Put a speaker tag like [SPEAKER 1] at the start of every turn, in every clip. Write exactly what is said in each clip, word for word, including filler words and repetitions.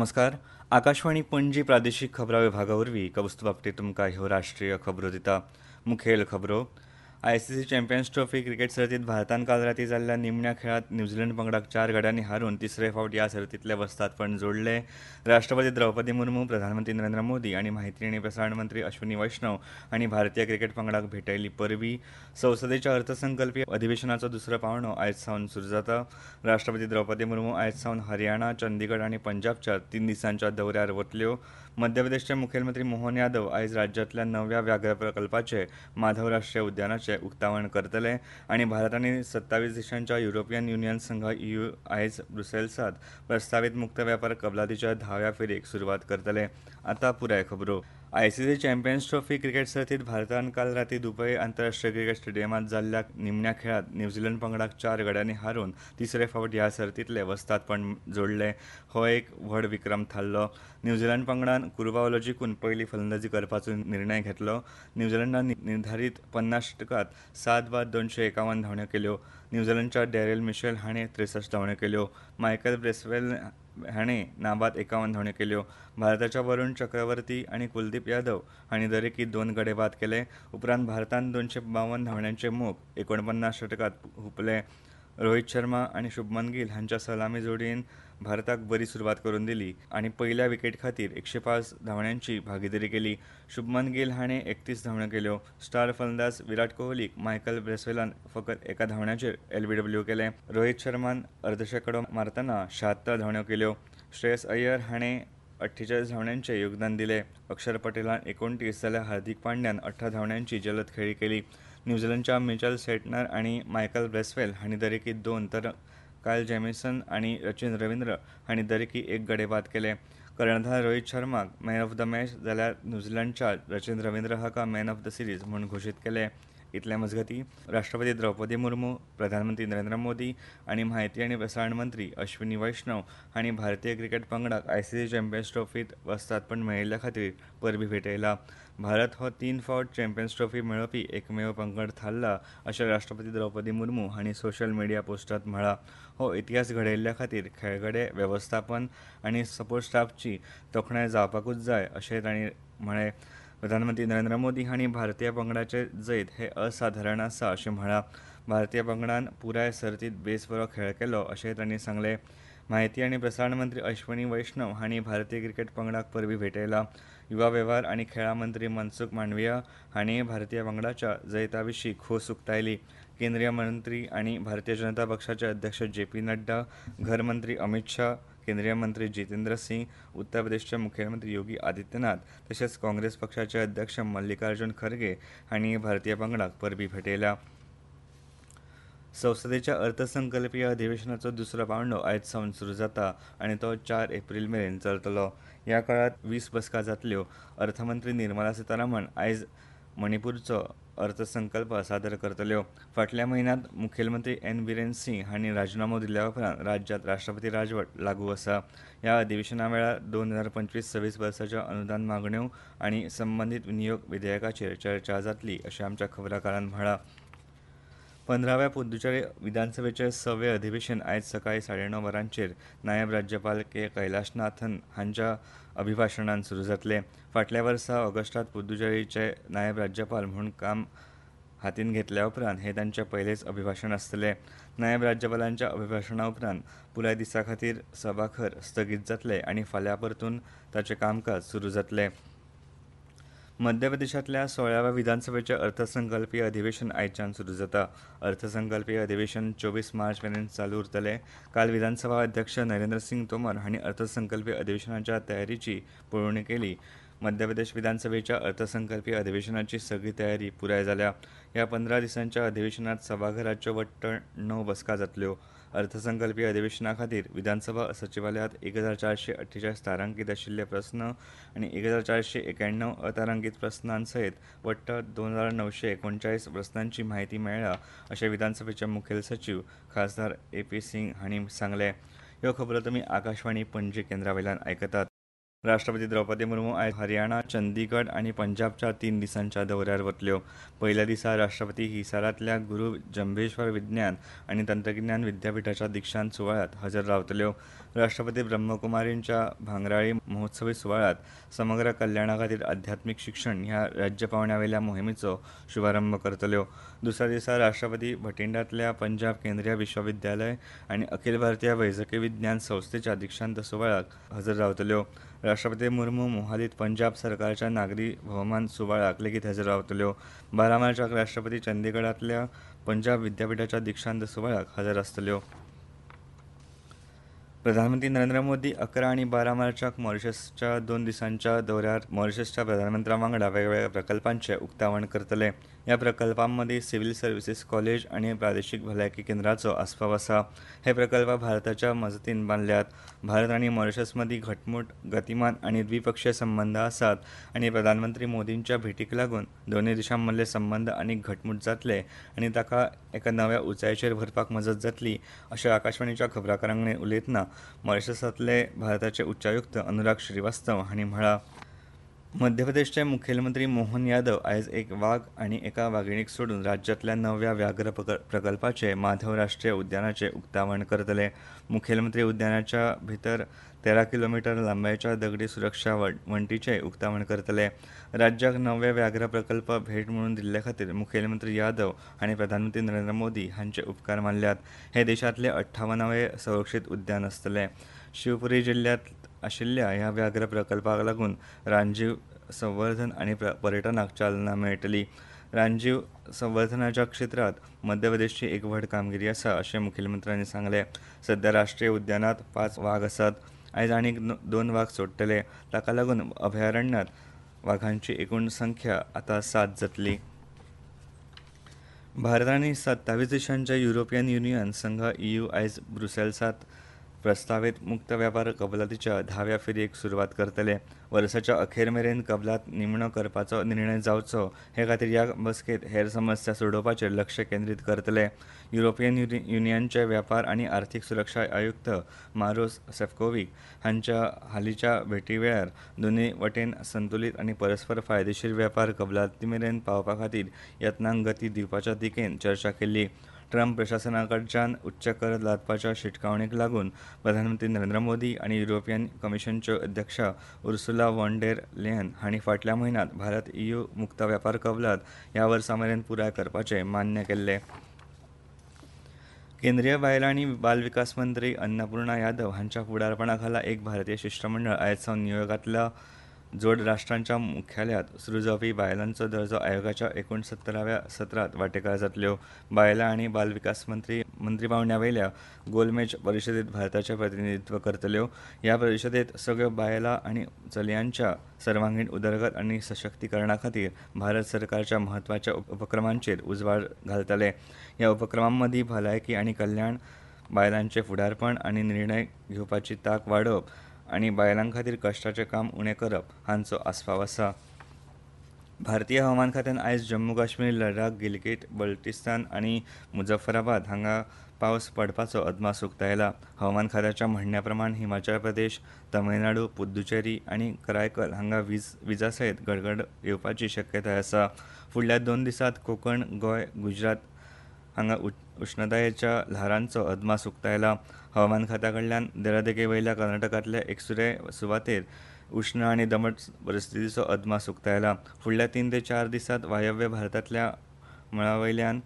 [SPEAKER 1] नमस्कार, आकाशवाणी पणजी प्रादेशीक खबरां विभागा वरवीं कौस्तुभ आपटे तुमकां ह्यो राष्ट्रीय खबरो दिता. मुखेल खबरो. I C C Champions Trophy cricket सर्तींत भारतान काल राती जाल्ल्या निमण्या खेळांत न्यूझीलंड पंगडाक चार गड्यांनी हारून तिसरे फावट ह्या सर्तींतले वस्तादपण जोडलें. राष्ट्रपती द्रौपदी मुर्मू, प्रधानमंत्री नरेंद्र मोदी आनी माहिती आनी प्रसारण मंत्री अश्विनी वैष्णव हांणी भारतीय क्रिकेट पंगडाक भेटयली परबीं. संसदेच्या अर्थसंकल्पीय अधिवेशनाचो दुसरो पावंडो आयज सावन सुरू जाता. राष्ट्रपती द्रौपदी मुर्मू आयज सावन हरियाणा, चंदीगड आनी पंजाबच्या तीन दिसांच्या दौऱ्यार वतल्यो. मध्य प्रदेशचे मुखेलमंत्री मोहन यादव आयज राज्यांतल्या नव्या व्याघ्र प्रकल्पाचे माधव राष्ट्रीय उद्यानाचे उक्तावण करतले. आनी भारत आनी सत्तावीस देशांच्या युरोपियन युनियन संघ ई यू आयज ब्रुसेल्सांत प्रस्तावीत मुक्त वेपार कबलातीच्या धाव्या फेरयेक सुरवात करतले. आतां पुराय खबरो. I C C Champions Trophy cricket सर्तींत भारतान काल राती दुबय आंतरराष्ट्रीय क्रिकेट स्टेडियमांत जाल्ल्या निमण्या खेळांत न्यूझीलंड पंगडाक चार गड्यांनी हारून तिसरे फावट ह्या सर्तींतलें वस्तादपण जोडलें. हो एक व्हड विक्रम थारलो. न्यूझीलंड पंगडान कुरबावलो जिखून पयली फलंदाजी करपाचो निर्णय घेतलो. न्यूझीलंडान निर्धारीत पन्नास षटकांत सात बाद दोनशे एकावन्न धांवड्यो केल्यो. न्यूझीलंडच्या डॅरेल मिशेल हाणें त्रेसश्ट धांवड्यो केल्यो. मायकल ब्रेसवेल हाणें नाबाद एकावन्न धांवड्यो केल्यो. भारताच्या वरुण चक्रवर्ती आनी कुलदीप यादव हांणी दरेकी दोन गडे बाद केले. उपरांत भारतान दोनशे बावन्न धांवड्यांचे मोख एकोणपन्नास षटकांत हुपले. रोहित शर्मा आनी शुभमन गिल हांच्या सलामी जोडयेन भारताक बरी सुरवात करून दिली आनी पयल्या विकेट खातीर एकशे पांच धांवड्यांची भागिदारी केली. शुभमन गिल हाणें एकतीस धांवड्यो केल्यो. स्टार फलंदाज विराट कोहलीक मायकल ब्रेसवेलान फकत एका धांवड्याचेर एल बी डब्ल्यू केलें. रोहित शर्मान अर्दशेकडो मारतना शहात्तर धांवड्यो केल्यो. श्रेयस अय्यर हाणें अठ्ठेचाळीस धांवड्यांचें योगदान दिलें. अक्षर पटेलान एकोणतीस जाल्यार हार्दिक पांड्यान अठरा धांवड्यांची जलद खेळी केली. न्यूझीलंडच्या मिचेल सेटनर आनी मायकल ब्रेसवेल हांणी दरेकी दोन तर कायल जेमिसन आनी रचिन रविंद्र हांणी दरेकी एक गडे बाद केले. कर्णधार रोहित शर्माक मॅन ऑफ the match जाल्यार न्यूझीलंडच्या रचिन रविंद्र हाका मॅन ऑफ the series म्हूण घोशीत केले. इतले मजगतीं राष्ट्रपती द्रौपदी मुर्मू, प्रधानमंत्री नरेंद्र मोदी आनी माहिती आनी प्रसारण मंत्री अश्विनी वैष्णव हांणी भारतीय क्रिकेट पंगडाक I C C champions ट्रॉफींत वस्तादपण मेळयल्ल्या खातीर परबीं भेटयला. भारत हो तीन फावट चॅम्पियन्स ट्रॉफी मेळोवपी एकमेव पंगड थारला अशें राष्ट्रपती द्रौपदी मुर्मू हांणी सोशल मिडिया पोस्टांत म्हळां. हो इतिहास घडयल्ल्या खातीर खेळगडे, वेवस्थापन आनी सपोर्ट स्टाफची तोखणाय जावपाकूच जाय अशें तांणी म्हळें. प्रधानमंत्री नरेंद्र मोदी हांणी भारतीय पंगडाचें जैत हें असाधारण आसा अशें म्हळां. भारतीय पंगडान पुराय सर्तींत बेस बरो खेळ केलो अशें तांणी सांगलें. माहिती आनी प्रसारण मंत्री अश्विनी वैष्णव हांणी भारतीय क्रिकेट पंगडाक परबीं भेटयला. युवा वेव्हार आनी खेळां मंत्री मनसुख मांडविया हांणी भारतीय पंगडाच्या जैता विशीं खोस उक्तायली. केंद्रीय मंत्री आनी भारतीय जनता पक्षाचे अध्यक्ष जे पी नड्डा, घर मंत्री अमित शाह, केंद्रीय मंत्री जितेंद्र सिंग, उत्तर प्रदेशचे मुखेलमंत्री योगी आदित्यनाथ तशेंच काँग्रेस पक्षाचे अध्यक्ष मल्लिकार्जुन खरगे हांणी भारतीय पंगडाक परबीं भेटयल्या. संसदेच्या अर्थसंकल्पीय अधिवेशनाचो दुसरो पावंडो आयज सावन सुरू जाता आनी तो चार एप्रील मेरेन चलतलो. ह्या काळांत वीस बसका जातल्यो. अर्थमंत्री निर्मला सीतारामन आयज मणिपूरचो अर्थसंकल्प सादर करतल्यो. फाटल्या म्हयन्यांत मुखेलमंत्री एन बिरेन सिंग हांणी राजिनामो दिल्या उपरांत राज्यांत राष्ट्रपती राजवट लागू आसा. ह्या अधिवेशना वेळार दोन हजार पंचवीस सव्वीस वर्साच्या अनुदान मागण्यो आनी संबंदीत विनियोग विधेयकाचेर चर्चा जातली अशें आमच्या खबराकारान म्हळां. पंदराव्या पुदुचेरी विधानसभेचें सवें अधिवेशन आयज सकाळीं साडे णव वरांचेर नायब राज्यपाल के कैलाशनाथन हांच्या अभिभाशणान सुरू जातलें. फाटल्या वर्सा ऑगस्टांत पुदुचेरीचे नायब राज्यपाल म्हूण काम हातीन घेतल्या उपरांत हें तांचें पयलेंच अभिभाशण आसतलें. नायब राज्यपालांच्या अभिभाशणा उपरांत पुराय दिसा खातीर सभाघर स्थगीत जातलें आनी फाल्यां परतून ताचें कामकाज सुरू जातलें. मध्य प्रदेशांतल्या सोळाव्या विधानसभेचें अर्थसंकल्पीय अधिवेशन आयच्यान सुरू जाता. अर्थसंकल्पीय अधिवेशन चोवीस मार्च मेरेन चालू उरतलें. काल विधानसभा अध्यक्ष नरेंद्र सिंग तोमर हांणी अर्थसंकल्पीय अधिवेशनाच्या तयारीची पळोवणी केली. मध्य प्रदेश विधानसभेच्या अर्थसंकल्पीय अधिवेशनाची सगळी तयारी पुराय जाल्या. ह्या पंदरा दिसांच्या अधिवेशनांत सभाघराच्यो वट्ट णव बसका जातल्यो. अर्थसंकल्पीय अधिवेशना खातीर विधानसभा सचिवालयांत एक हजार चारशे अठ्ठेचाळीस तारांकीत आशिल्ले प्रस्न आनी एक हजार चारशे एक्याण्णव अतारांकीत प्रस्नां सयत वट्ट दोन हजार णवशे एकोणचाळीस प्रस्नांची म्हायती मेळ्ळ्या अशें विधानसभेचे मुखेल सचीव खासदार ए पी सिंग हांणी सांगलें. ह्यो खबरो तुमी आकाशवाणी पणजी केंद्रा वयल्यान आयकतात. राष्ट्रपती द्रौपदी मुर्मू आयज हरियाणा, चंदीगड आनी पंजाबच्या तीन दिसांच्या दौऱ्यार वतल्यो. पयल्या दिसा राष्ट्रपती हिसारांतल्या गुरू जंभेश्वर विज्ञान आनी तंत्रगिन्यान विद्यापिठाच्या दीक्षांत सुवाळ्यांत हजर रावतल्यो. राष्ट्रपती ब्रह्मकुमारींच्या भांगराळी महोत्सवी सुवाळ्यांत समग्र कल्याणा खातीर अध्यात्मीक शिक्षण ह्या राज्य पांवड्यावेल्या मोहिमेचो शुभारंभ करतल्यो. दुसऱ्या दिसा राष्ट्रपती भटिंडांतल्या पंजाब केंद्रीय विश्वविद्यालय आनी अखिल भारतीय वैजकी विज्ञान संस्थेच्या दीक्षांत सुवाळ्याक हजर रावतल्यो. राष्ट्रपती मुर्मू मोहालीत पंजाब सरकारच्या नागरी भोवमान सुवाळ्याक लेगीत हजर रावतल्यो. बारा मार्चाक राष्ट्रपती चंदीगडांतल्या पंजाब विद्यापिठाच्या दीक्षांत सुवाळ्याक हजर आसतल्यो. प्रधानमंत्री नरेंद्र मोदी अकरा आनी बारा मार्चाक मॉरिशसच्या दोन दिसांच्या दौऱ्यार मॉरिशसच्या प्रधानमंत्र्या वांगडा वेगवेगळ्या प्रकल्पांचें उक्तावण करतले. ह्या प्रकल्पां मदीं सिव्हील सर्विसीस कॉलेज आनी प्रादेशीक भलायकी केंद्राचो आस्पाव आसा. हे प्रकल्प भारताच्या मजतीन बांदल्यात. भारत आनी मॉरिशस मदीं घटमूट, गतिमान आनी द्विपक्षीय संबंद आसात आनी प्रधानमंत्री मोदींच्या भेटीक लागून दोनूय देशां मदले संबंद आनीक घटमूट जातले आनी ताका एका नव्या उंचायेचेर व्हरपाक मजत जातली अशें आकाशवाणीच्या खबराकारां कडेन उलयतना मॉरिशसांतले भारताचे उच्चायुक्त अनुराग श्रीवास्तव हांणी म्हळां. मध्य प्रदेशचे मुखेलमंत्री मोहन यादव आयज एक वाग आनी एका वागिणीक सोडून राज्यांतल्या नव्या व्याघ्र प्रकल्पाचे माधव राष्ट्रीय उद्यानाचें उक्तावण करतले. मुखेलमंत्री उद्यानाच्या भितर तेरा किलोमिटर लांबायेच्या दगडी सुरक्षा वण्टीचें उक्तावण करतले. राज्याक नवे व्याघ्र प्रकल्प भेट म्हणून दिल्ले खातीर मुखेलमंत्री यादव हांणी प्रधानमंत्री नरेंद्र मोदी हांचे उपकार मानल्यात. हे देशांतले अठ्ठावनावे संरक्षीत उद्यान आसतलें. शिवपुरी जिल्ल्यांत आशिल्ल्या ह्या व्याघ्र प्रकल्पाक लागून रानजीव संवर्धन आनी पर्यटनाक चालना मेळटली. रानजीव संवर्धनाच्या क्षेत्रांत मध्य प्रदेशची एक व्हड कामगिरी आसा अशें मुखेलमंत्र्यांनी सांगलें. सध्या राष्ट्रीय उद्यानांत पांच वाग आसात. आयज आनीक दोन वाग सोडटले. ताका लागून अभयारण्यांत वागांची एकूण संख्या आतां सात जातली. भारत आनी सत्तावीस देशांच्या युरोपियन युनियन संघ ई यू आयज ब्रुसेल्सांत प्रस्तावीत मुक्त व्यापार कबलातीच्या धाव्या फेरयेक सुरवात करतले. वर्साच्या अखेर मेरेन कबलात निमणो करपाचो निर्णय जावचो हे खातीर ह्या बसकेंत हेर समस्या सोडोवपाचेर लक्ष केंद्रीत करतले. युरोपियन युनियनचे व्यापार आनी आर्थीक सुरक्षा आयुक्त मारोस सेफकोवीक हांच्या हालींच्या भेटी वेळार दोनूय वटेन संतुलीत आनी परस्पर फायदेशीर व्यापार कबलाती मेरेन पावपा खातीर यत्नांक गती दिवपाच्या दिकेन चर्चा केल्ली. ट्रंप प्रशासना कडच्यान उच्च कर लादपाच्या शिटकावणेक लागून प्रधानमंत्री नरेंद्र मोदी आनी युरोपियन कमिशनच्यो अध्यक्ष उर्सुला वॉन डेर लेयन हांणी फाटल्या म्हयन्यांत भारत ई यू मुक्त व्यापार कबलात ह्या वर्सा मेरेन पुराय करपाचें मान्य केल्लें. केंद्रीय बायलां आनी बाल विकास मंत्री अन्नपूर्णा यादव हांच्या फुडारपणा खाला एक भारतीय शिश्टमंडळ आयज सावन न्यूयॉर्कांतल्या जोड राष्ट्रांच्या मुख्यालयांत सुरू जावपी बायलांचो दर्जो आयोगाच्या एकुणसत्तराव्या सत्रांत वांटेकार जातल्यो. बायलां आनी बाल विकास मंत्री मंत्री पांवड्या वयल्या गोलमेज परिशदेंत भारताचें प्रतिनिधित्व करतल्यो. ह्या परिशदेंत सगळ्यो बायलां आनी चलयांच्या सर्वांगीण उदरगत आनी सशक्तीकरणा खातीर भारत सरकारच्या म्हत्वाच्या उपक्रमांचेर उजवाड घालतले. ह्या उपक्रमां मदीं भलायकी आनी कल्याण, बायलांचें फुडारपण आनी निर्णय घेवपाची तांक वाडोवप आनी बायलां खातीर कश्टाचें काम उणें करप हांचो आस्पाव आसा. भारतीय हवामान खात्यान आयज जम्मू काश्मीर, लडाख, गिलगीट बल्टिस्तान आनी मुजफ्फराबाद हांगा पावस पडपाचो अदमास उक्तायला. हवामान खात्याच्या म्हणण्या प्रमाण हिमाचल प्रदेश, तमिळनाडू, पुद्दुचेरी आनी करायकल हांगा वीज विजा सयत गडगड येवपाची शक्यताय आसा. फुडल्या दोन दिसांत कोकण, गोंय, गुजरात हांगा उश्णतायेच्या ल्हारांचो अदमास उक्तायला. हवामान खात्या कडल्यान दर्यादेगे वयल्या कर्नाटकांतल्या एकसुरे सुवातेर उश्ण आनी दमट परिस्थितीचो अदमास उक्तायला. फुडल्या तीन ते चार दिसांत वायव्य भारतांतल्या मळा वयल्यान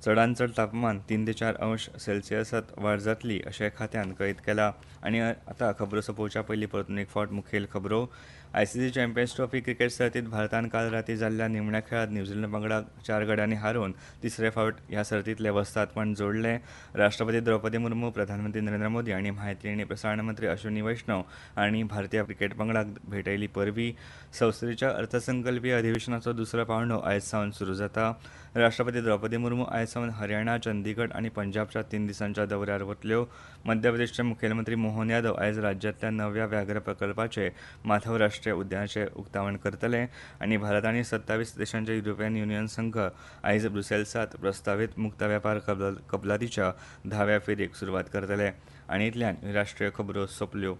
[SPEAKER 1] चडांत चड तापमान तीन ते चार अंश सेल्सियसांत वाड जातली अशें खात्यान कळीत केलां. आनी आतां खबरो सोंपोवच्या पयलीं परतून एक फावट मुखेल खबरो. I C C champions trophy cricket सर्तींत भारतान काल राती जाल्ल्या निमण्या खेळांत न्यूझीलंड पंगडाक चार गड्यांनी हारोवन तिसरे फावट ह्या सर्तींतलें वस्तादपण जोडलें. राष्ट्रपती द्रौपदी मुर्मू, प्रधानमंत्री नरेंद्र मोदी आनी म्हायती आनी प्रसारण मंत्री अश्विनी वैष्णव हांणी भारतीय क्रिकेट पंगडाक भेटयली परबीं. संसदेच्या अर्थसंकल्पीय अधिवेशनाचो दुसरो पांवडो आयज सावन सुरू जाता. राष्ट्रपती द्रौपदी मुर्मू आयज सावन हरियाणा, चंदीगड आनी पंजाबच्या तीन दिसांच्या दौऱ्यार वतल्यो. मध्य प्रदेशचे मुखेलमंत्री मोहन यादव आयज राज्यांतल्या नव्या व्याघ्र प्रकल्पाचे माधव राष्ट्रीय उद्यानाचें उक्तावण करतले. आनी भारत आनी सत्तावीस देशांचे युरोपियन युनियन संघ आयज ब्रुसेल्सांत प्रस्तावीत मुक्त व्यापार कबलातीच्या धाव्या फेरयेक सुरवात करतले. आनी इतल्यान राष्ट्रीय खबरो सोंपल्यो.